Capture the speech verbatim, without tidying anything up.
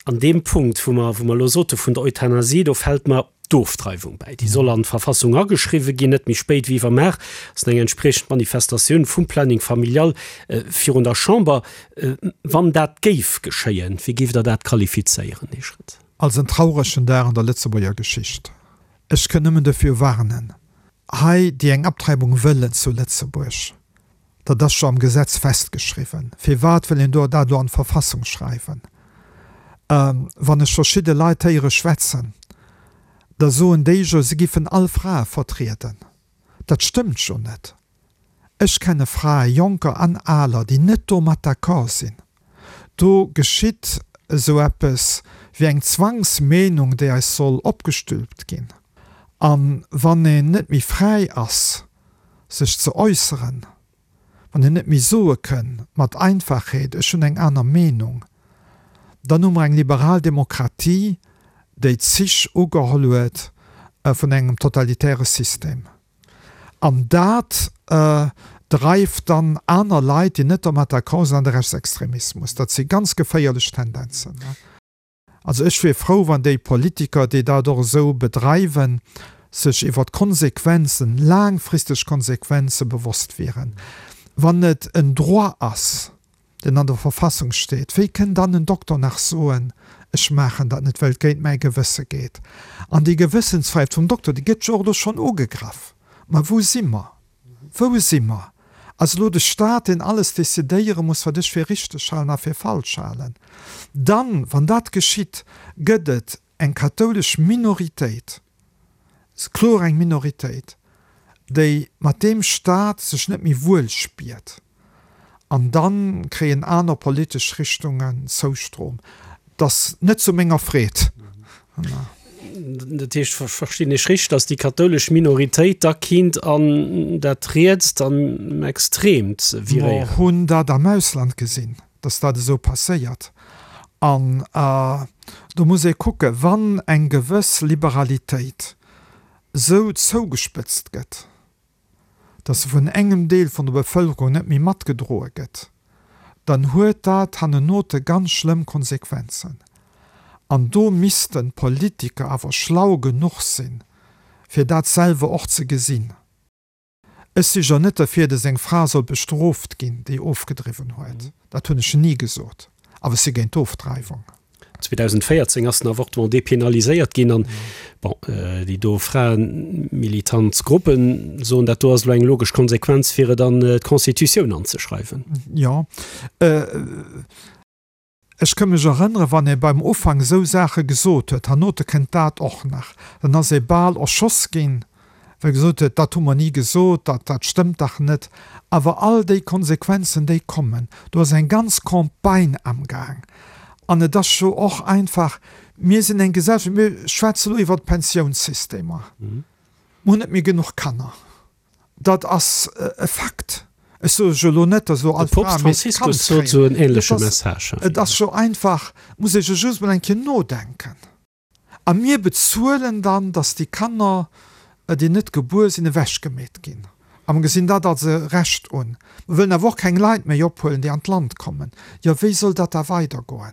An deem Punkt, wou mer, wou mer elo sote vun der Euthanasie, do fält mer d'Ofdreiwung bäi. Déi soll an d'Verfassung ageschriwwe ginn, net méi spéit wéi iwwermaach ass eng entspriechend Manifestatioun vum Planning familial virun der Chamber. Wann dat géif geschéien, wéi géift Der dat qualifizéieren, Här Schritt? Als en trauregen Dag an der Lëtzebuerger Geschicht. Ech kënn nëmmen dofir warnen, hei déi eng Abtreibung wëllen zu Lëtzebuerg. Dat ass jo am Gesetz festgeschriwwen. Firwat wëll een do dat elo an d'Verfassung schreiwen? Wann ech verschidde Leit héiere schwätzen, da soen déi jo, se giffen all Frae vertrieden. Dat stëmmt jo net. Ech kenne Frae, jonker an aler, déi net domat d'accord sinn. Do geschitt esou eppes wéi eng Zwangsmeenung, déi eis soll opgestülpt ginn. A wann een net méi fräi ass, sech ze äusseren, wann een net méi soe kënn mat Einfachheet, ech hunn eng aner Meenung, dann hu mer eng liberal Demokratie, déi Zich ugeholl huet vun engem totalitäre System. An dat dreift dann aner Leit, déi net domat d'accord sinn, an de Rechtsextremismus. Dat si ganz geféierlech Tendenzen. Also ech wier frou, wann déi Politiker, déi dat och esou bedreiwen, sech iwwer d'Konsequenzen, laangfristeg Konsequenze bewosst wieren. Wann et en Droit ass, deen an der Verfassung steet, wéi kënn dann en Dokter nach soen, ech maachen dat net, well et géint mäi Gewësse geet? An déi Gewëssensfräiheet vum Dokter, déi gëtt jo och elo schonn ugegraff. Ma wou si mer? Wou si mer? Ass elo de Staat, deen alles decidéiere muss, wat ech fir richteg halen a fir falsch halen? Dann, wann dat geschitt, gëtt et eng kathoulesch Minoritéit, kloer eng Minoritéit, déi mat deem Staat sech net méi wuel spiert. An da kréien aner politesch Richtungen Zoustrom. Dat ass net zu menger Freed. Dat heescht, verstinn ech richteg, datt déi kathoulesch Minoritéit da kinnt an dat Rietst an Extreemt viréieren? Mer hunn dat am Ausland gesinn, datt dat esou passéiert. An do muss ee kucken, wann eng gewëss Liberalitéit esou zougespëtzt gëtt, datt se vun engem Deel vun der Bevëlkerung net méi matgedroe gëtt, dann huet dat hannenote ganz schlëmm Konsequenzen. An do missten d'Politiker awer schlau genuch sinn, fir dat selwer och ze gesinn. Ech si jo net derfir, datt eng Fra soll bestrooft ginn, déi ofgedriwwen huet. Dat hunn ech ni gesot. Awer ech si géint d'Ofdreiwung. zweedausendvéierzéng ass den Avortement depenaliséiert ginn an, bon, déi do fraemilitant Gruppen soen, dat do ass elo eng logesch Konsequenz, fir et an d'Constitutioun anzeschreiwen. Jo. Ech ka mech erënneren, wann ee beim Ufank esou Saache gesot huet, hernote kënnt dat och nach, dann ass ee bal erschoss ginn, well gesot huet, dat hu mer ni gesot, dat, dat stëmmt dach net. Awer all déi Konsequenzen, déi kommen, do ass eng ganz Campagne amgaang. An et ass jo och einfach, mir sinn eng Gesellschaft, mir schwätzen elo iwwert d'Pensiounssystemer, mer hunn net méi genuch Kanner. Dat ass e Fakt. Ech soe jo elo net, datt elo all Fra misst Kand kréien. Et ass jo einfach, muss ee jo just mol eng Kéier nodenken. A mir bezuelen dann, datt déi Kanner, déi net gebuer sinn, ewechgemeet ginn. A mer gesinn dat als e Recht un. Mer wëllen awer och keng Leit méi ophuelen, déi an d'Land kommen. Jo, wéi soll dat da weidergoen?